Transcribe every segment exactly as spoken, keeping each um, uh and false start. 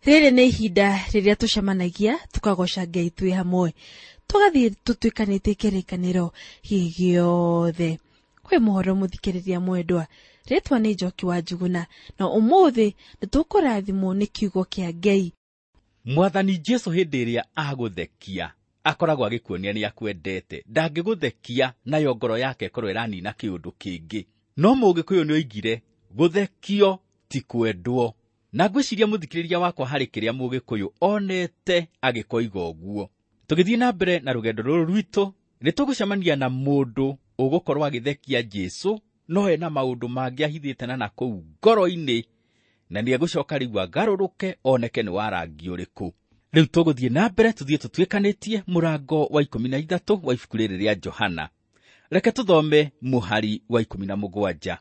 Rĩrĩ nĩ ihinda rĩrĩa tũcemanagia tũkagoca Ngai twĩ hamwe, tũgathiĩ tũtuĩkanĩtie kĩrĩkanĩro gĩothe. Kwĩ mũhoro mũthikĩrĩria mwendwa, rĩtwa nĩ Njoki wa Njuguna, na ũmũthĩ nĩtũkũrathimwo nĩ kiugo kĩa Ngai. Mwathani Jesu hĩndĩ ĩrĩa agũthekia akoragwo agĩkuonia nĩ akwendete. Ndangĩgũthekia nayo ngoro yake ĩkorwo ĩranina kĩũndũ kĩngĩ. No Mũgĩkũyũ nĩoigire gũthekio ti kwendwo. Na ngwĩciria mũthikĩrĩria wakwa harĩ kĩrĩa Mũgĩkũyũ onete agĩkoiga ũguo. Tũgĩthiĩ na mbere na rũgendo rũrũ rwitũ, nĩtũgũcemania na mũndũ ũgũkorwo agĩthekia Jesu, no ena maũndũ mangĩ ahithĩte na nakũu ngoro-inĩ, na nĩegũcoka rĩu agarũrũke oneke nĩ wa rangi ũrĩkũ. Rĩu tũgũthiĩ na mbere tũthiĩ tũtuĩkanĩtie mũrango wa ikũmi na ithatũ wa ibuku rĩrĩ rĩa Johana. Reke tũthome mũhari wa ikũmi na mũgwanja.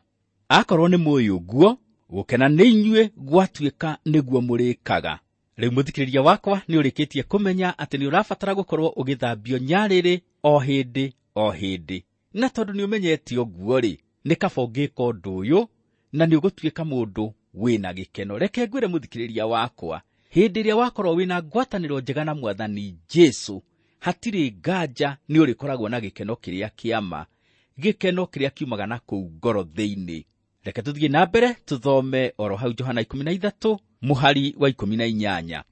Akorwo nĩ mũĩ ũguo, gũkena nĩ inyuĩ gwatuĩka nĩguo mũrĩkaga. Rĩu mũthikĩrĩria wakwa nĩ ũrĩkĩtie kũmenya atĩ nĩ ũrabatara gũkorwo ũgĩthambio nyarĩrĩ o hĩndĩ o hĩndĩ. Na tondũ nĩ ũmenyete ũguo-rĩ, nĩ kaba ũngĩka ũndũ ũyũ na nĩ ũgũtuĩka mũndũ wĩna gĩkeno. Reke ngwĩre mũthikĩrĩria wakwa, hĩndĩ ĩrĩa wakorwo wĩna ngwatanĩro njega na Mwathani Jesu, hatirĩ nganja nĩ ũrĩkoragwo na gĩkeno kĩrĩa kĩa ma, gĩkeno kĩrĩa kiumaga na kũu ngoro thĩinĩ. Reke tũthiĩ na mbere tũthome oro hau Johana ikũmi na ithatũ mũhari wa ikũmi na inyanya.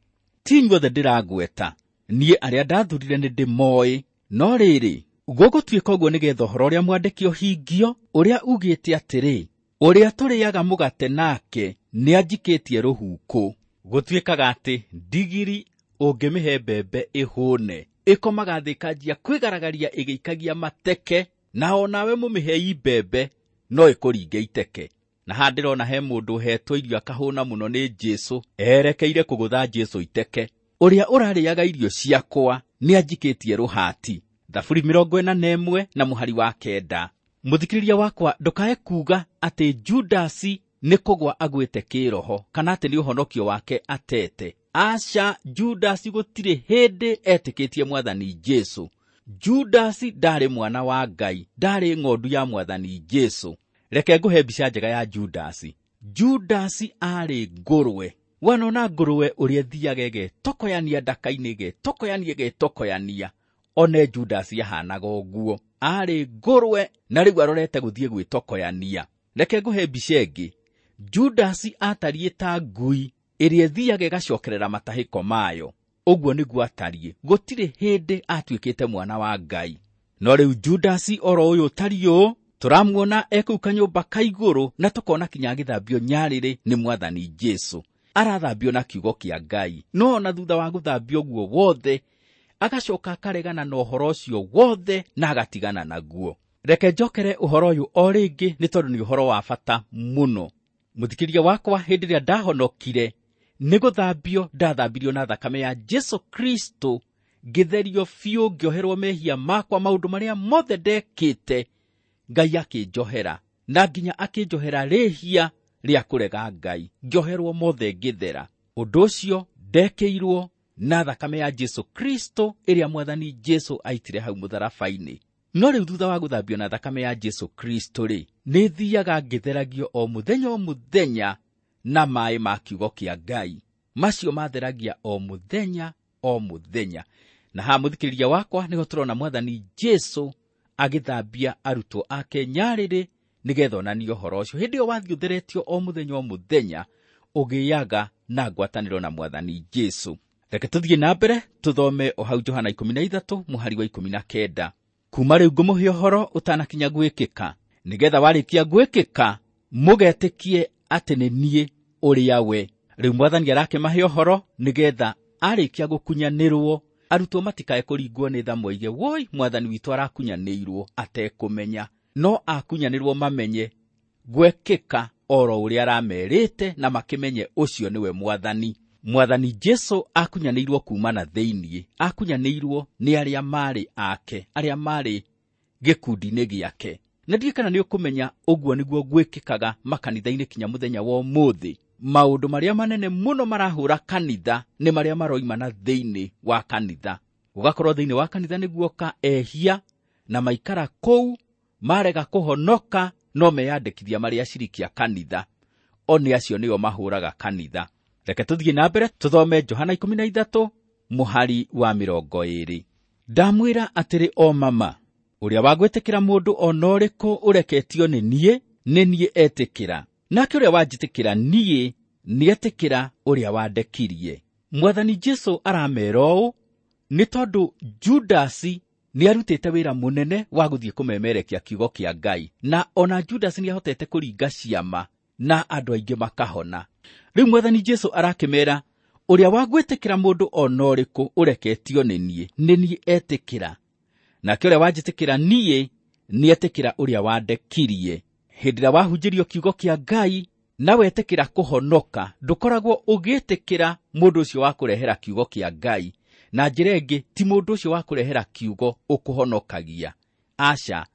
Ti inyuothe ndĩragweta, niĩ arĩa ndathurire nĩ ndĩmoĩ, no rĩrĩ, gũgũtuĩka ũguo nĩgetha ũhoro ũrĩa mwandĩke ũhingio, ũrĩa ugĩte atĩrĩ, ũrĩa tũrĩaga mũgate nake nĩanjikĩtie rũhuku. Gũtuĩkaga atĩ ndigiri ũngĩmĩhe mbembe ĩhũne, ĩkomaga thĩ ĩkanjia kwĩgaragaria ĩgĩikagia mateke, na onawe mũmĩhei mbembe no ĩkũringe iteke. Na haha ndĩrona he mũndũ ũhetwo irio akahũna mũno nĩ Jesu, erekeire kũgũtha Jesu iteke. Ũrĩa ũrarĩaga irio ciakwa nĩanjikĩtie rũhati. Thaburi mĩrongo ĩna na ĩmwe na mũhari wa kenda. Mũthikĩrĩria wakwa, ndũkae kuga atĩ Judasi nĩ kũgwa agwĩte kĩroho kana atĩ nĩ ũhonokio wake atete. Aca, Judasi gũtirĩ hĩndĩ etĩkĩtie Mwathani Jesu. Judasi ndarĩ mwana wa Ngai, ndarĩ ng'ondu ya Mwathani Jesu. Reke ngũhe mbica njega ya Judasi. Judasi arĩ ngũrwe. Wanona ngũrwe ũrĩa ĩthiaga ĩgetokoyania ndaka-inĩ, ĩgetokoyania, ĩgetokoyania. One Judasi ahanaga ũguo. Arĩ ngũrwe na rĩu arorete gũthiĩ gwĩtokoyania. Reke ngũhe mbica ĩngĩ. Judasi atariĩ ta ngui ĩrĩa ĩthiaga ĩgacokerera matahĩko mayo. Ũguo nĩguo atariĩ. Gũtirĩ hĩndĩ atuĩkĩte mwana wa Ngai. No rĩu Judasi oro ũyũ ũtariĩ ũũ, tũramuona ekũu kanyũmba ka igũrũ na tũkona kinya agĩthambio nyarĩrĩ nĩ Mwathani Jesu. Arathambio na kiugo kĩa Ngai. No ona thutha wa gũthambio ũguo wothe, agacoka akaregana na ũhoro ũcio wothe na agatigana naguo. Reke njokere ũhoro ũyũ o rĩngĩ nĩ tondũ nĩ ũhoro wa bata mũno. Mũthikĩrĩria wakwa, hĩndĩ ĩrĩa ndahonokire nĩ gũthambio ndathambirio na thakame ya Jesu Kristo, ngĩtherio biũ, ngĩoherwo mehia makwa, maũndũ marĩa mothe ndekĩte Ngai akĩnjohera, na nginya akĩnjohera rĩhia rĩa kũrega Ngai, ngĩoherwo mothe ngĩthera. Ũndũ ũcio ndekĩirwo na thakame ya Jesu Kristo ĩrĩa Mwathani Jesu aitire hau mũtharaba-inĩ. No rĩu thutha wa gũthambio na thakame ya Jesu Kristo rĩ, nĩ thiaga ngĩtheragio o mũthenya o mũthenya na maĩ ma kiugo kĩa Ngai. Macio matheragia o mũthenya o mũthenya. Na haha mũthikĩrĩria wakwa nĩho tũrona Mwathani Jesu agĩthambia arutwo ake nyarĩrĩ nĩgetha onanie ũhoro ũcio. Hĩndĩ ĩyo wathiĩ ũtheretio o mũthenya o mũthenya, ũgĩaga na ngwatanĩro na Mwathani Jesu. Reke tũthiĩ na mbere tũthome o hau Johana ikũmi na ithatũ mũhari wa ikũmi na kenda. Kuma rĩu ngũmũhe ũhoro ũtanakinya gwĩkĩka, nĩgetha warĩkia gwĩkĩka mũgetĩkie atĩ nĩ niĩ ũrĩa we. Rĩu Mwathani arakĩmahe ũhoro nĩgetha arĩkia gũkunyanĩrwo arutwo matikae kũringwo nĩ tha moige, woi Mwathani witũ arakunyanĩirwo atekũmenya. No akunyanĩrwo mamenye gwekĩka oro ũrĩa aramerĩte na makĩmenye ũcio nĩwe Mwathani. Mwathani Jesu akunyanĩirwo kuma na thĩinĩ, akunyanĩirwo nĩ arĩa marĩ ake, arĩa marĩ gĩkundi-inĩ gĩake. Na ndiũĩ kana nĩ ũkũmenya ũguo nĩguo gwĩkĩkaga makanitha-inĩ kinya mũthenya wa ũmũthĩ. Maũndũ marĩa manene mũno marahũra kanitha nĩ marĩa maroima na thĩinĩ wa kanitha. Gũgakorwo thĩinĩ wa kanitha nĩguoka ehia na maikara kũu, marega kũhonoka no meyandĩkithia marĩ aciriki a kanitha. O nĩ acio nĩo mahũraga kanitha. Reke tũthiĩ na mbere tũthome Johana ikũmi na ithatũ mũhari wa mĩrongo ĩĩrĩ. Ndamwĩra atĩrĩ o mama, ũrĩa wa gwĩtĩkĩra mũndũ o na ũrĩkũ ũreketio nĩ niĩ, nĩ niĩ etĩkĩra. Nake ũrĩa wanjĩtĩkĩra niĩ, nĩetĩkĩra ũrĩa wandekirie. Mwathani Jesũ aramera ũũ nĩ tondũ Judasi nĩarutĩte wĩra mũnene wa gũthiĩ kũmemerekia kiugo kĩa Ngai, na ona Judasi nĩahotete kũringa ciama na andũ aingĩ makahona. Rĩu Mwathani Jesũ arakĩmera ũrĩa wa gwĩtĩkĩra mũndũ o na ũrĩkũ ũreketio nĩ niĩ, nĩ niĩ etĩkĩra. Nake ũrĩa wanjĩtĩkĩra niĩ, nĩetĩkĩra ũrĩa wandekirie. Hĩndĩ ĩrĩa wahunjĩrio kiugo kĩa Ngai na wetĩkĩra kũhonoka, ndũkoragwo ũgĩtĩkĩra mũndũ ũcio wa kũrehera kiugo kĩa Ngai. Na njĩra ĩngĩ, ti mũndũ ũcio wa kũrehera kiugo ũkũhonokagia. Aca,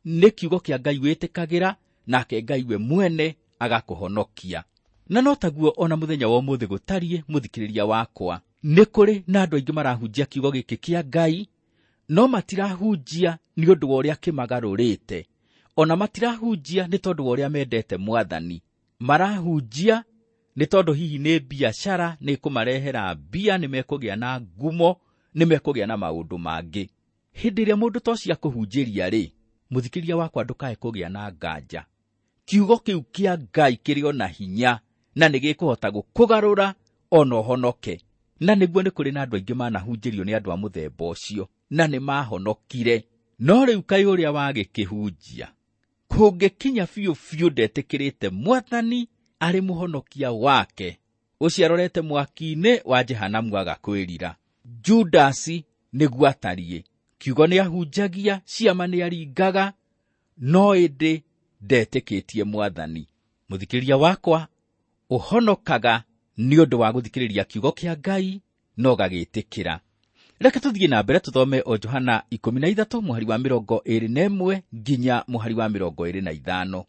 nĩ kiugo kĩa Ngai wĩtĩkagĩra, nake Ngai we mwene agakũhonokia. Na no taguo ona mũthenya wa ũmũthĩ gũtariĩ, mũthikĩrĩria wakwa. Nĩ kũrĩ na andũ aingĩ marahunjia kiugo gĩkĩ kĩa Ngai, no matirahunjia nĩ ũndũ wa ũrĩa kĩmagarũrĩte. Ona matirahunjia nĩ tondũ wa ũrĩa mendete Mwathani. Marahunjia nĩ tondũ hihi nĩ biacara, nĩ kũmarehera mbia, nĩ mekũgĩa na ngumo, nĩ mekũgĩa na maũndũ mangĩ. Hĩndĩ ĩrĩa mũndũ ta ũcio akũhunjĩria rĩ, mũthikĩrĩria wakwa ndũkae kũgĩa na nganja. Kiugo kĩu kĩa Ngai kĩrĩ o na hinya na nĩ gĩkũhota gũkũgarũra ona ũhonoke. Na nĩguo nĩ kũrĩ na andũ aingĩ manahunjĩrio nĩ andũ a mũthemba ũcio na nĩ mahonokire. No rĩu kaĩ ũrĩa wagĩkĩhunjia kũngĩkinya biũ biũ ndetĩkĩrĩte Mwathani arĩ mũhonokia wake, ũcio arorete mwaki-inĩ wa Jehanamu agakwĩrira. Judasi nĩguo atariĩ. Kiugo nĩahunjagia, ciama nĩaringaga, no ĩndĩ ndetĩkĩtie Mwathani. Mũthikĩrĩria wakwa, ũhonokaga nĩ ũndũ wa gũthikĩrĩria kiugo kĩa Ngai na ũgagĩtĩkĩra. Reke tũthiĩ na mbere tũthome o Johana ikũmi na ithatũ mũhari wa mĩrongo ĩĩrĩ na ĩmwe nginya mũhari wa mĩrongo ĩĩrĩ na ithano.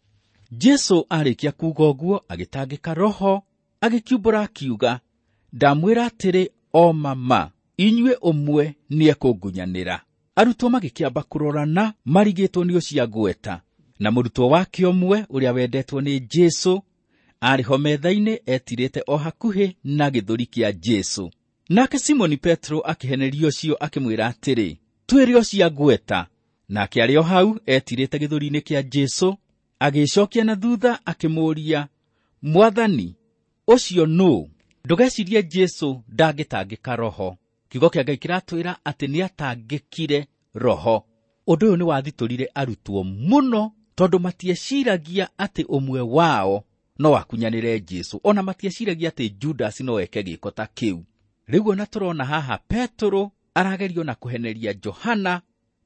Jesũ arĩkia kuuga ũguo agĩtangĩka roho, agĩkiumbũra akiuga, ndamwĩra atĩrĩ o mama, inyuĩ ũmwe nĩekũngunyanĩra. Arutwo magĩkĩamba kũrorana marigĩtwo nĩ ũcio agweta. Na mũrutwo wake ũmwe ũrĩa wendetwo nĩ Jesũ arĩ ho metha-inĩ etirĩte o hakuhĩ na gĩthũri kĩa Jesũ. Nake Simoni Petro akĩheneria ũcio akĩmwĩra atĩrĩ, twĩre ũcio agweta. Nake arĩ o hau etirĩte gĩthũri-inĩ kĩa Jesũ, agĩcokia na thutha akĩmũũria, Mwathani, ũcio nũũ? Ndũgecirie Jesũ ndangĩtangĩka roho. Kiugo kĩa Ngai kĩratwĩra atĩ nĩatangĩkire roho. Ũndũ ũyũ nĩwathitũrire arutwo mũno, tondũ matieciragia atĩ ũmwe wao no akunyanĩre Jesũ, ona matieciragia atĩ Judas no eke gĩko ta kĩu. Rĩu ona tũrona haha Petro aragerio na kũheneria Johana,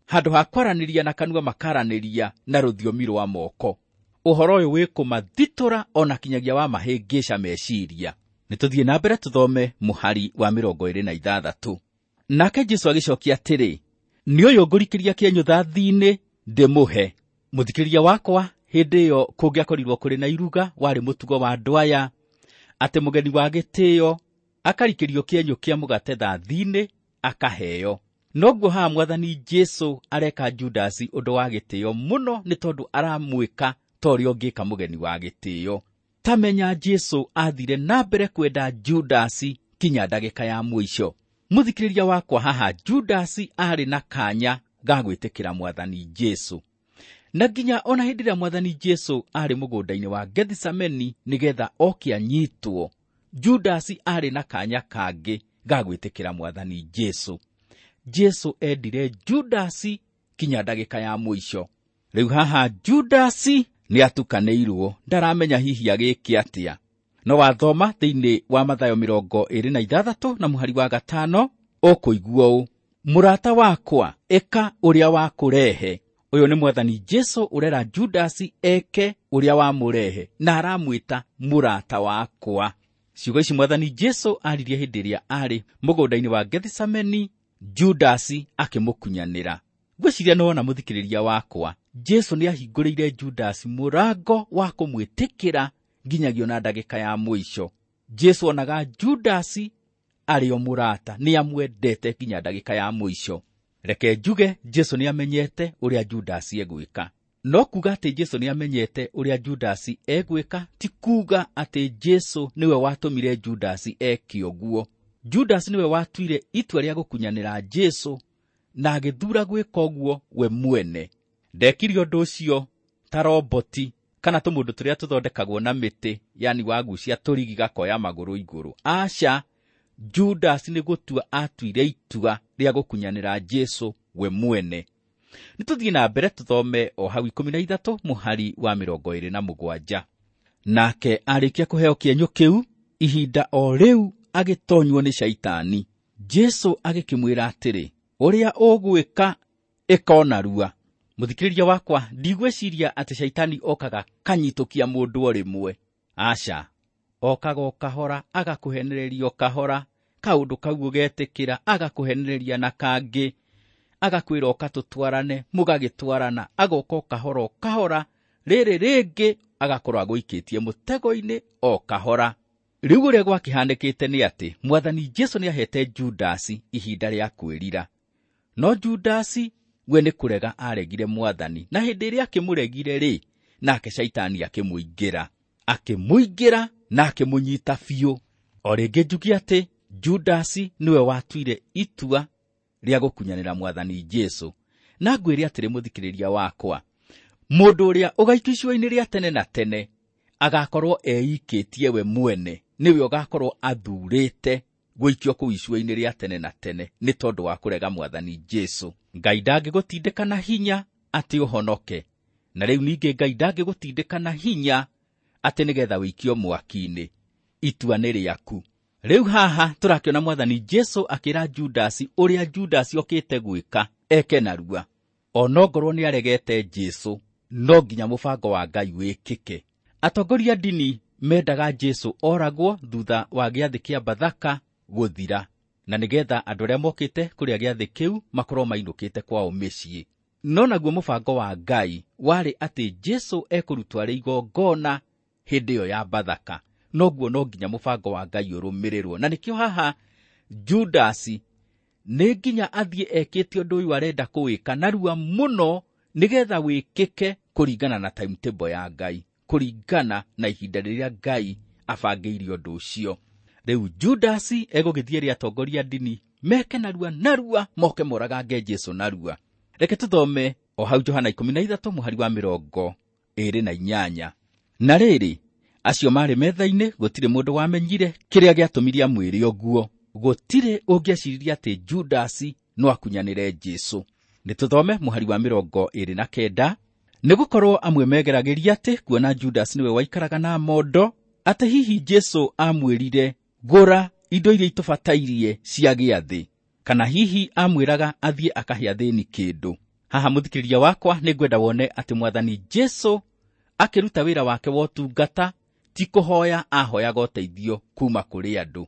handũ ha kwaranĩria na kanua makaranĩria na rũthiomi rwa moko. Ũhoro ũyũ wĩ kũmathitũra ona kinyagia wa mahĩngĩca meciria. Nĩ tũthiĩ na mbere tũthome mũhari wa mĩrongo ĩĩrĩ na ithathatũ. Nake Jesũ agĩcokia atĩrĩ, nĩ ũyũ ngũrikĩria kĩenyũ thathi-inĩ ndĩmũhe. Mũthikĩrĩria wakwa, hĩndĩ ĩyo kũngĩakorirwo kũrĩ na iruga, warĩ mũtugo wa andũ aya atĩ mũgeni wa gĩtĩo akarikĩrio kĩenyũ kĩa mũgate thathi-inĩ akaheo. Noguo haha Mwathani Jesũ areka Judasi ũndũ wa gĩtĩo mũno, nĩ tondũ aramwĩka ta ũrĩa ũngĩka mũgeni wa gĩtĩo. Ta menya Jesũ athire na mbere kwenda Judasi kinya ndagĩka ya mũico. Mũthikĩrĩria wakwa, haha Judasi arĩ na kanya ga gwĩtĩkĩra Mwathani Jesũ. Na nginya ona hĩndĩ ĩrĩa Mwathani Jesũ arĩ mũgũnda-inĩ wa Gethisemane nĩgetha oke anyitwo, Judasi arĩ na kanya kangĩ ga gwĩtĩkĩra Mwathani Jesũ. Jesũ endire Judasi kinya ndagĩka ya mũico. Rĩu haha Judasi nĩatukanĩirwo, ndaramenya hihi agĩke atĩa. No wathoma thĩinĩ wa Mathayo mĩrongo ĩĩrĩ na ithathatũ na mũhari wa gatano, ũkũigua ũũ: mũrata wakwa, ĩka ũrĩa wakũrehe. Ũyũ nĩ Mwathani Jesũ ũrera Judasi eke ũrĩa wamũrehe, na aramwĩta mũrata wakwa. Ciugo ici Mwathani Jesũ aririe hĩndĩ ĩrĩa arĩ mũgũnda-inĩ wa Gethisemane, Judasi akĩmũkunyanĩra. Ngwĩciria nĩwona mũthikĩrĩria wakwa, Jesũ nĩahingũrĩire Judasi mũrango wa kũmwĩtĩkĩra nginyagia ona ndagĩka ya mũico. Jesũ onaga Judasi arĩ o mũrata, nĩamwendete nginya ndagĩka ya mũico. Reke njuge Jesũ nĩamenyete ũrĩa Judasi egwĩka. No kuga atĩ Jesu nĩamenyete ũrĩa Judasi egwĩka ti kuga atĩ Jesu nĩwe watũmire Judasi eke ũguo. Judasi nĩwe watuire itua rĩa gũkunyanĩra Jesu na agĩthura gwĩka ũguo we mwene. Ndekire ũndũ ũcio ta roboti kana tũmũndũ tũrĩa tũthondekagwo na mĩtĩ, yani wagucia tũrigi gakoya magũrũ igũrũ. Aca, Judas nĩ gũtua atuire itua rĩa gũkunyanĩra Jesu we mwene. Nĩ tũthiĩ na mbere tũthome o hau ikũmi na ithatũ mũhari wa mĩrongo ĩrĩ na mũgwanja. Nake arĩkia kũheo kĩenyũ kĩu, ihinda o rĩu agĩtonywo nĩ Shaitani. Jesu agĩkĩmwĩra atĩrĩ, ũrĩa ũgwĩka ĩka o narua. Mũthikĩrĩria wakwa, ndigwĩciria atĩ Shaitani okaga kanyitũkia mũndũ o rĩmwe. Aca, okaga o kahora, agakũhenereria o kahora, kaũndũ kau ũgetĩkĩra, agakũhenereria na kangĩ, agakwĩra oka tũtwarane, mũgagĩtwarana, agoka o kahora o kahora, rĩrĩ rĩngĩ agakorwo agũikĩtie mũtego-inĩ o kahora. Rĩu ũrĩa gwakĩhanĩkĩte nĩ atĩ Mwathani Jesu nĩahete Judasi ihinda rĩa kwĩrira. No Judasi we nĩ kũrega aregire Mwathani, na hĩndĩ ĩrĩa akĩmũregire rĩ, nake Shaitani akĩmũingĩra, akĩmũingĩra na akĩmũnyita biũ. O rĩngĩ njuge atĩ Judasi nĩwe watuire itua rĩa gũkunyanĩra Mwathani Jesu. Na ngwĩre atĩrĩ mũthikĩrĩria wakwa, mũndũ ũrĩa ũgaikio icua-inĩ rĩa tene na tene agakorwo eikĩtie we mwene, nĩwe ũgakorwo athurĩte gũikio kũu icua-inĩ rĩa tene na tene nĩ tondũ wa kũrega Mwathani Jesu. Ngai ndangĩgũtindĩka na hinya atĩ ũhonoke, na rĩu ningĩ Ngai ndangĩgũtindĩka na hinya atĩ nĩgetha wĩikio mwaki-inĩ. Itua nĩ rĩaku. Rĩu haha tũrakĩona Mwathani Jesu akĩra Judasi ũrĩa Judasi okĩte gwĩka eke narua. Onongorwo nĩaregete Jesu, no nginya mũbango wa Ngai wĩkĩke. Atongoria ndini mendaga Jesu oragwo thutha wa gĩathĩ kĩa Bathaka gũthira, na nĩgetha andũ arĩa mokĩte kũrĩa gĩathĩ kĩu makorwo mainũkĩte kwao mĩciĩ. No naguo mũbango wa Ngai warĩ atĩ Jesu ekũrutwo arĩ igongona hĩndĩ ĩyo ya Bathaka. Noguo no nginya mũbango wa Ngai ũrũmĩrĩrwo. Na nĩkĩo haha Judasi nĩ nginya athiĩ ekĩte ũndũ ũyũ arenda kũwĩka narua mũno nĩgetha wĩkĩke kũringana na timetable ya Ngai, kũringana na ihinda rĩrĩa Ngai abangĩire ũndũ ũcio. Rĩu Judasi egũgĩthiĩ rĩa atongoria ndini meke narua narua moke moragange Jesu narua. Reke tũthome o hau Johana ikũmi na ithatũ mũhari wa mĩrongo ĩrĩ na inyanya. Na rĩrĩ, acio marĩ metha-inĩ gũtirĩ mũndũ wamenyire kĩrĩa gĩatũmire amwĩre ũguo. Gũtirĩ ũngĩeciririe atĩ Judasi no akunyanĩre Jesu. Nĩ tũthome mũhari wa mĩrongo ĩrĩ na kenda. Nĩgũkorwo amwe megeragĩria atĩ kuona Judasi nĩwe waikaraga na mondo, atĩ hihi Jesu amwĩrire gũra indo iria itũbatairie cia gĩathĩ, kana hihi amwĩraga athiĩ akahe athĩni kĩndũ. Haha mũthikĩrĩria wakwa, nĩngwenda wone atĩ Mwathani Jesu akĩruta wĩra wake wa ũtungata ti kũhoya ahoyaga ũteithio kuma kũrĩ andũ.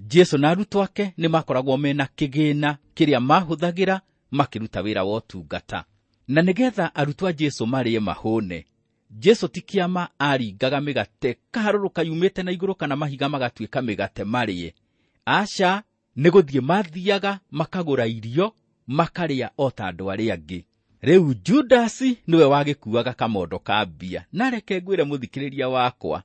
Jesu na arutwo ake nĩmakoragwo mena kĩgĩna kĩrĩa mahũthagĩra makĩruta wĩra wa ũtungata. Na nĩgetha arutwo a Jesu marĩe mahũne, Jesu ti kĩama aringaga mĩgate kaharũrũka yumĩte na igũrũ kana mahiga magatuĩka mĩgate marĩe. Aca, nĩ gũthiĩ mathiaga makagũra irio makarĩa o ta andũ arĩa angĩ. Rĩu Judasi nĩwe wagĩkuaga kamondo ka mbia. Na reke ngwĩre mũthikĩrĩria wakwa,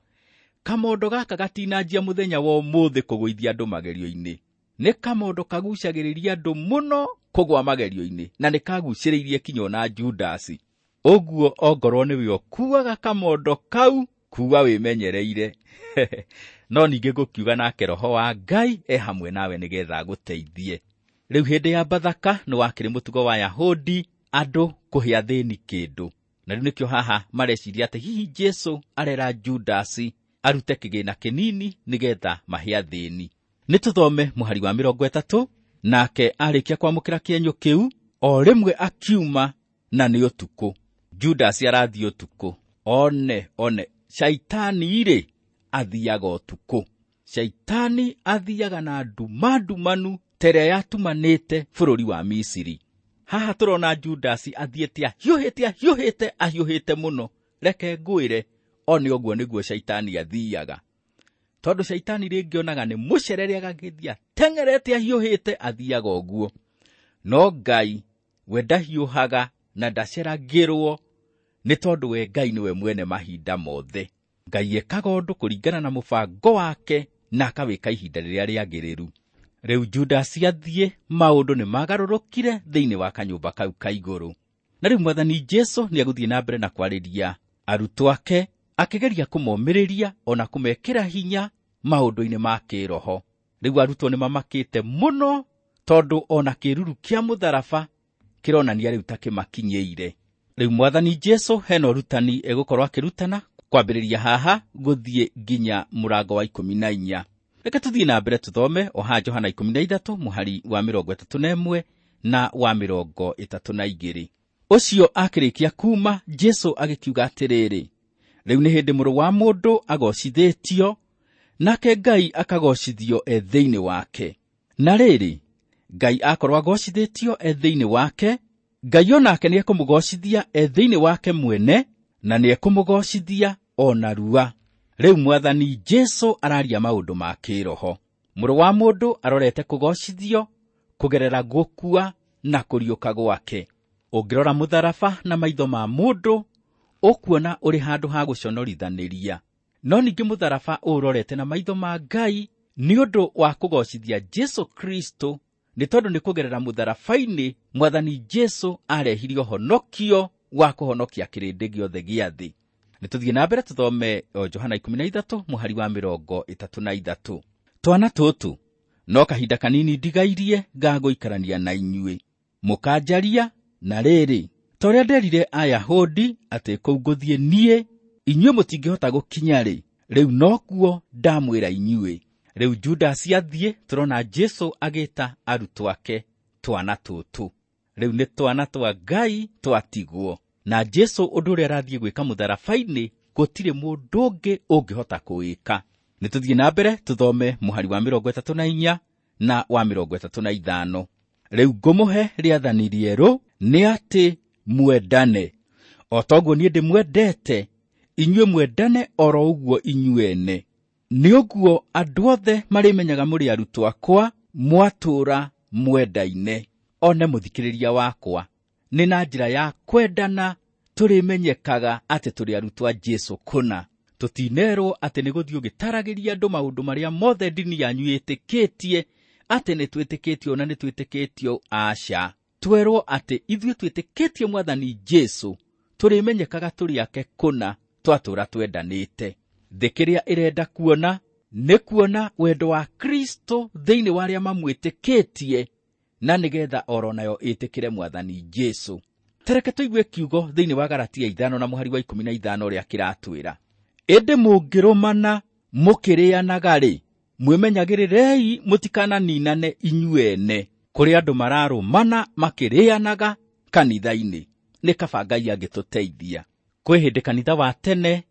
kamondo gaka gatinanjia mũthenya wa ũmũthĩ kũgũithia andũ magerio-inĩ. Nĩ kamondo kagucagĩrĩria andũ mũno kũgwa magerio-inĩ, na nĩ kagucĩrĩirie kinya ona Judasi. Ũguo ongorwo nĩwe ũkuaga kamondo kau, kuwa wĩmenyereire. No ningĩ ngũkiuga nake Roho wa Ngai e hamwe nawe nĩgetha agũteithie. Rĩu hĩndĩ ya Bathaka nĩ wakĩrĩ mũtugo wa Yahudi andũ kũhe athĩni kĩndũ. Na rĩu nĩkĩo haha mareciria atĩ hihi Jesu arera Judasi arute kĩgĩna kĩnini nĩgetha mahe athĩni. Nĩ tũthome mũhari wa mĩrongo ĩtatũ. Nake arĩkia kwamũkĩra kĩenyũ kĩu, o rĩmwe akiuma, na nĩ ũtukũ. Judasi arathiĩ ũtukũ. One, one, Shaitani rĩ athiaga ũtukũ. Shaitani athiaga na nduma ndumanu ta ĩrĩa yatumanĩte bũrũri wa Misiri. Haha tũrona Judasi athiĩte ahiũhĩte, ahiũhĩte, ahiũhĩte mũno. Reke ngwĩre, one ũguo nĩguo Shaitani athiaga. Tondũ Shaitani rĩngĩ onaga nĩ mũcerere agagĩthiĩ ateng'erete ahiũhĩte, athiaga ũguo. No Ngai we ndahiũhaga na ndaceragĩrwo Nĩ tondũ we Ngai nĩwe mwene mahinda mothe. Ngai ekaga ũndũ kũringana na mũbango wake na akawĩka ihinda rĩrĩa rĩagĩrĩru. Rĩu Judasi athiĩ, maũndũ nĩ magarũrũkire thĩinĩ wa kanyũmba kau ka igũrũ. Na rĩu Mwathani Jesũ nĩ egũthiĩ na mbere na kwarĩria arutwo ake, akĩgeria kũmomĩrĩria ona kũmekĩra hinya maũndũ-inĩ ma kĩroho. Rĩu arutwo nĩ mamakĩte mũno tondũ ona kĩruru kĩa mũtharaba kĩronania rĩu ta kĩmakinyĩire. Rĩu Mwathani Jesũ hena ũrutani egũkorwo akĩrutana kwambĩrĩria haha gũthiĩ nginya mũrango wa ikũmi na inya. Reke tũthiĩ na mbere tũthome o haha Johana ikũmi na ithatũ mũhari wa mĩrongo ĩtatũ na ĩmwe na wa mĩrongo ĩtatũ na igĩrĩ. Ũcio akĩrĩkia kuma, Jesũ agĩkiuga atĩrĩrĩ, rĩu nĩ hĩndĩ mũrũ wa mũndũ agocithĩtio, nake Ngai akagocithio e thĩinĩ wake. Na rĩrĩ, Ngai akorwo agocithĩtio e thĩinĩ wake, Ngai onake nĩekũmũgocithia e thĩinĩ wake mwene, na nĩekũmũgocithia o narua. Rĩu Mwathani Jesũ araria maũndũ ma kĩroho. Mũrũ wa mũndũ arorete kũgocithio kũgerera gũkua na kũriũka gwake. Ũngĩrora mũtharaba na maitho ma mũndũ, ũkuona ũrĩ handũ ha gũconorithanĩria. No ningĩ mũtharaba ũũrorete na maitho ma Ngai nĩ ũndũ wa kũgocithia Jesũ Kristo, nĩ tondũ nĩ kũgerera mũtharaba-inĩ Mwathani Jesũ arehire ũhonokio wa kũhonokia kĩrĩndĩ gĩothe gĩa thĩ. Nĩ tũthiĩ na mbere tũthome o Johana ikũmi na ithatũ mũhari wa mĩrongo ĩtatũ na ithatũ. Twana tũtũ, no kahinda kanini ndigairie ngagũikarania na inyuĩ, mũkanjaria na rĩrĩ, ta ũrĩa nderire Ayahudi atĩ kũu ngũthiĩ niĩ, inyuĩ mũtingĩhota gũkinya-rĩ, rĩu nokuo ndamwĩra inyuĩ. Rĩu Judasi athiĩ, tũrona Jesũ agĩta arutwo ake twana tũtũ. Rĩu nĩ twana twa Ngai twatigwo. Na Jesũ ũndũ ũrĩa arathiĩ gwĩka mũtharaba-inĩ, gũtirĩ mũndũ ũngĩ ũngĩhota kũwĩka. Nĩ tũthiĩ na mbere tũthome mũhari wa mĩrongo ĩtatũ na inya na wa mĩrongo ĩtatũ na ithano. Rĩu ngũmũhe rĩathani rĩerũ nĩ atĩ mwendane. O toguo niĩ ndĩmwendete, inyuĩ mwendane oro ũguo inyuĩ ene. Nĩ ũguo andũ othe marĩmenyaga mũrĩ arutwo akwa, mwatũũra mwendaine. One mũthikĩrĩria wakwa, nĩ na njĩra ya kwendana tũrĩmenyekaga atĩ tũrĩ arutwo a Jesũ kũna. Tũtinerwo atĩ nĩ gũthiĩ ũgĩtaragĩria andũ maũndũ marĩa mothe ndini yanyu ĩtĩkĩtie, atĩ nĩ twĩtĩkĩtio na nĩ twĩtĩkĩtio, aca. Twerwo atĩ ithuĩ twĩtĩkĩtie Mwathani Jesũ, tũrĩmenyekaga tũrĩ ake kũna, twatũũra twendanĩte. Thĩ kĩrĩa ĩrenda kuona nĩ kuona wendo wa Kristo thĩinĩ wa arĩa mamwĩtĩkĩtie, na nĩgetha oro nayo ĩtĩkĩre Mwathani Jesũ. Tereke tũigue kiugo thĩinĩ wa Galatia ithano na mũhari wa ikũmi na ithano ũrĩa kĩratwĩra. Ĩndĩ mũngĩrũmana mũkĩrĩanaga-rĩ, mwĩmenyagĩrĩrei mũtikananinane inyuĩ ene. Kũrĩ andũ mararũmana makĩrĩanaga kanitha-inĩ. Nĩ kaba Ngai angĩtũteithia. Kwĩ hĩndĩ kanitha wa tene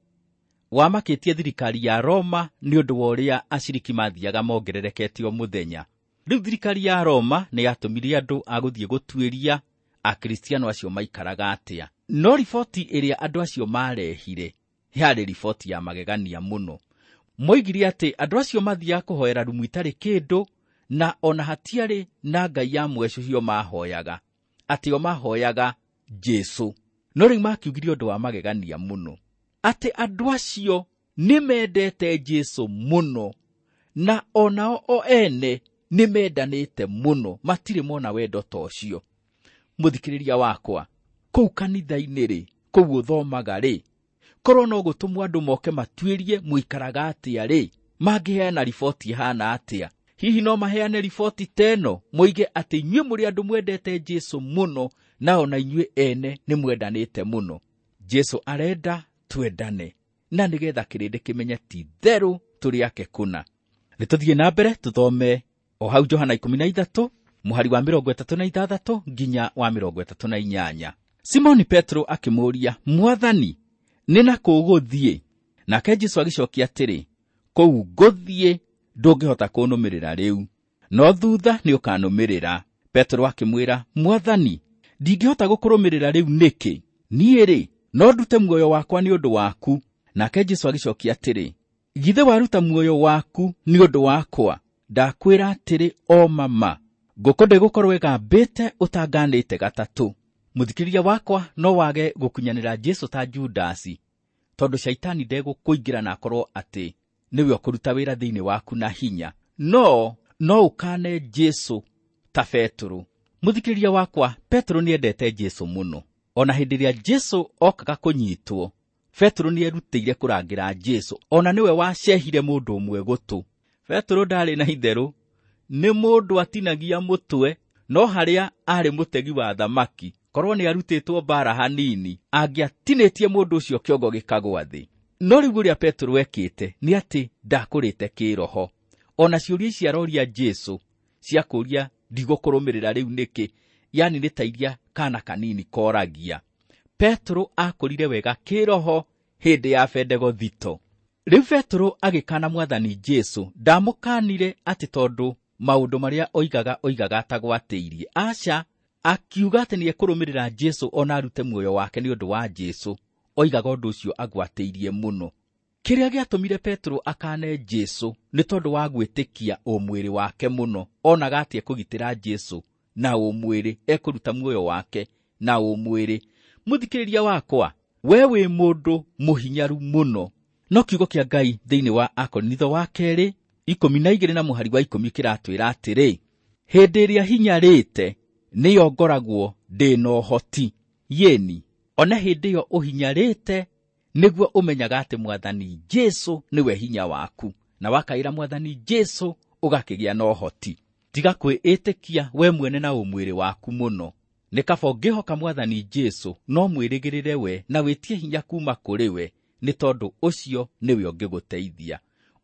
wamakĩtie thirikari ya Roma nĩ ũndũ wa ũrĩa aciriki mathiaga mongererekete o mũthenya. Rĩu thirikari ya Roma nĩ yatũmire andũ a gũthiĩ gũtuĩria Akristiano acio maikaraga atĩa. No riboti ĩrĩa andũ acio marehire yarĩ riboti ya magegania mũno. Moigire atĩ andũ acio mathiaga kũhoera rumu itarĩ kĩndũ, na ona hatiarĩ na ngai ya mwecũhio mahoyaga, atĩ o mahoyaga Jesũ. No rĩu makiugire ũndũ wa magegania mũno, atĩ andũ acio nĩ mendete Jesũ mũno, na onao o ene nĩ mendanĩte mũno, matirĩ mona wendo ta ũcio. Mũthikĩrĩria wakwa, kũu kanitha-inĩ rĩ, kũu ũthomaga rĩ, korwo no gũtũmwo andũ moke matuĩrie mũikaraga atĩa rĩ, mangĩheana riboti ĩhana atĩa? Hihi no maheane riboti ta ĩno, moige atĩ inyuĩ mũrĩ andũ mwendete Jesũ mũno, na ona inyuĩ ene nĩ mwendanĩte mũno. Jesũ arenda twendane, na nĩgetha kĩrĩndĩ kĩmenye ti therũ tũrĩ ake kũna. Nĩ tũthiĩ na mbere tũthome o hau Johana ikũmi na ithatũ mũhari wa mĩrongo ĩtatũ na ithathatũ nginya wa mĩrongo ĩtatũ na inyanya. Simoni Petro akĩmũũria, Mwathani, nĩ na kũ ũgũthiĩ? Nake Jesũ agĩcokia atĩrĩ, kũu ngũthiĩ ndũngĩhota kũnũmĩrĩra rĩu, no thutha nĩ ũkanũmĩrĩra. Petro akĩmwĩra, Mwathani, ndingĩhota gũkũrũmĩrĩra rĩu nĩkĩ? Niĩ rĩ, no ndute muoyo wakwa nĩ ũndũ waku. Nake Jesũ agĩcokia atĩrĩ, githĩ waruta muoyo waku nĩ ũndũ wakwa? Ndakwĩra atĩrĩ o mama, ngũkũ ndĩgũkorwo ĩgambĩte ũtanganĩte gatatũ. Mũthikĩrĩria wakwa, no wage gũkunyanĩra Jesũ ta Judasi, tondũ caitani ndegũkũingĩra na akorwo atĩ nĩwe ũkũruta wĩra thĩinĩ waku na hinya. No no ũkane Jesũ ta Petero. Mũthikĩrĩria wakwa, Petero nĩendete Jesũ mũno. Ona hĩndĩ ĩrĩa Jesũ okaga kũnyitwo, Petero nĩerutĩire kũrangĩra Jesũ, ona nĩwe wacehire mũndũ ũmwe gũtũ. Petero ndarĩ na itherũ, nĩ mũndũ atinagia mũtwe, no harĩa arĩ mũtegi wa thamaki, korwo nĩarutĩtwo mbara hanini, angĩatinĩtie mũndũ ũcio kĩongo gĩkagwa thĩ. No rĩu ũrĩa Petero ekĩte nĩ atĩ ndakũrĩte kĩroho. Ona ciũria ici aroria Jesũ cia kũũria ndigũkũrũmĩrĩra rĩu nĩkĩ, yani nĩ ta iria kana kanini koragia. Petero akũrire wega kĩroho hĩndĩ ya Bendegothito. Rĩu Petero agĩkana Mwathani Jesũ, ndamũkanire atĩ tondũ maũndũ marĩa oigaga oigaga atagwatĩirie. Aca, akiuga atĩ nĩekũrũmĩrĩra Jesũ ona arute muoyo wake nĩ ũndũ wa Jesũ. Oigaga ũndũ ũcio agwatĩirie mũno. Kĩrĩa gĩatũmire Petero akane Jesũ nĩ tondũ wa gwĩtĩkia ũmwĩrĩ wake mũno. Onaga atĩ ekũgitĩra Jesũ na ũmwĩrĩ, ekũruta muoyo wake na ũmwĩrĩ. Mũthikĩrĩria wakwa, we wĩ mũndũ mũhinyaru mũno. No kiugo kĩa Ngai thĩinĩ wa Akorinitho wa kerĩ ikũmi na igĩrĩ na mũhari wa ikũmi kĩratwĩra atĩrĩ, hĩndĩ ĩrĩa hinyarĩte nĩyo ngoragwo ndĩ na ũhoti. Yeni, ona hĩndĩ ĩyo ũhinyarĩte nĩguo ũmenyaga atĩ Mwathani Jesũ nĩwe hinya waku, na wakaĩra Mwathani Jesũ ũgakĩgĩa na ũhoti. Tiga kwĩĩtĩkia we mwene na ũmwĩrĩ waku mũno. Nĩ kaba ũngĩhoka Mwathani Jesũ, no mwĩrĩgĩrĩre we na wĩtie hinya kuma kũrĩ we, nĩ tondũ ũcio nĩwe ũngĩgũteithia,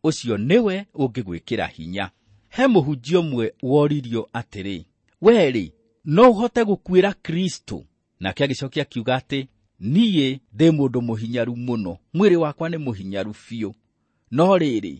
ũcio nĩwe ũngĩgwĩkĩra hinya. He mũhunjia ũmwe woririo atĩrĩ, we-rĩ, no ũhote gũkuĩra Kristo? Nake agĩcokia akiuga atĩ, niĩ ndĩ mũndũ mũhinyaru mũno, mwĩrĩ wakwa nĩ mũhinyaru biũ. No rĩrĩ,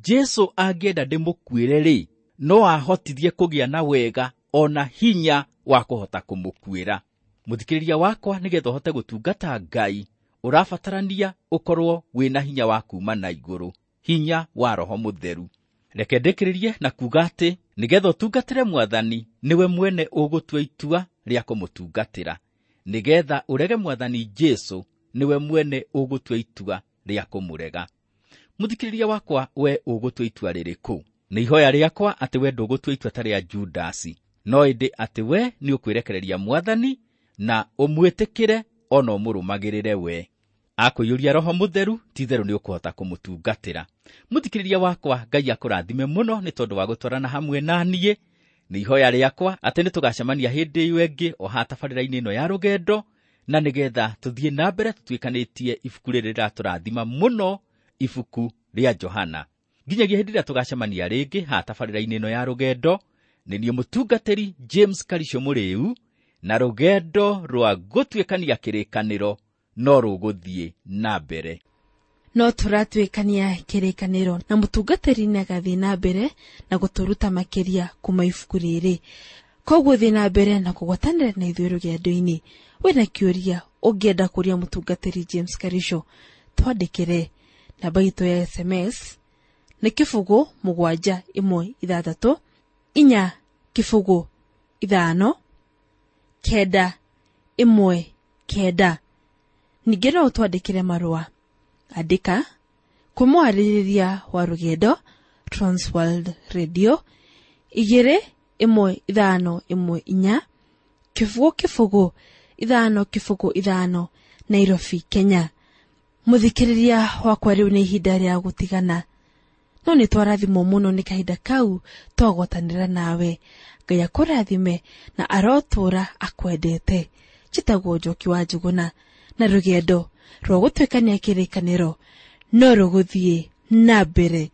Jesũ angĩenda ndĩmũkuĩre-rĩ, no ahotithie kũgĩa na wega ona hinya wa kũhota kũmũkuĩra. Mũthikĩrĩria wakwa, nĩgetha ũhote gũtungata Ngai, ũrabatarania ũkorwo wĩna hinya wa kuma na igũrũ, hinya wa Roho Mũtheru. Reke ndĩkĩrĩrie na kuuga atĩ nĩgetha ũtungatĩre Mwathani, nĩwe mwene ũgũtua itua rĩa kũmũtungatĩra. Nĩgetha ũrege Mwathani Jesũ, nĩwe mwene ũgũtua itua rĩa kũmũrega. Mũthikĩrĩria wakwa, we ũgũtua itua rĩrĩkũ? Nĩ ihoya rĩakwa atĩ we ndũgũtua itua ta rĩa Judasi, no ĩndĩ atĩ we nĩ ũkwĩrekereria Mwathani na ũmwĩtĩkĩre ona ũmũrũmagĩrĩre we. Akũiyũria Roho Mũtheru, ti-itherũ nĩ ũkũhota kũmũtungatĩra. Mũthikĩrĩria wakwa, Ngai akũrathime mũno nĩ tondũ wa gũtwarana hamwe na niĩ. Nĩ ihoya rĩakwa atĩ nĩ tũgacemania hĩndĩ ĩyo ĩngĩ o haha tabarĩra-inĩ ĩno ya rũgendo, na nĩgetha tũthiĩ na mbere tũtuĩkanĩtie ibuku rĩrĩ rĩratũrathima mũno, ibuku rĩa Johana. Nginyagia hĩndĩ ĩrĩa tũgacemania rĩngĩ haha tabarĩra-inĩ ĩno ya rũgendo, nĩ niĩ mũtungatĩri James Karisho Mũrĩu, na rũgendo rwa gũtuĩkania kĩrĩkanĩro no rũgũthiĩ na mbere. No tũratuĩkania kĩrĩkanĩro na mũtungatĩri nĩagathiĩ na mbere na gũtũruta makĩria kuma ibuku rĩrĩ. Koguo thiĩ na mbere na kũgwatanĩra na ithuĩ rũgendo-inĩ. Wĩna kĩũria ũngĩenda kũria mũtungatĩri James Karisho, twandĩkĩre. Namba itũ ya S M S nĩ kĩbũgũ mũgwanja ĩmwe ithathatũ inya kĩbũgũ ithano kenda ĩmwe kenda. Ningĩ no ũtwandĩkĩre marũa. Andĩka kwĩ mwarĩrĩria wa rũgendo Transworld Radio igĩrĩ ĩmwe ithano ĩmwe inya kĩbũgũ kĩbũgũ ithano kĩbũgũ ithano Nairobi, Kenya. Mũthikĩrĩria wakwa, rĩu nĩ ihinda rĩa gũtigana, no nĩ twarathimwo mũno nĩ kahinda kau twagwatanĩra nawe. Ngai akũrathime na arotũũra akwendete. Njĩtagwo Njoki wa Njũgũna, na rũgendo rwa gũtuĩkania kĩrĩkanĩro no rũgũthiĩ na mbere.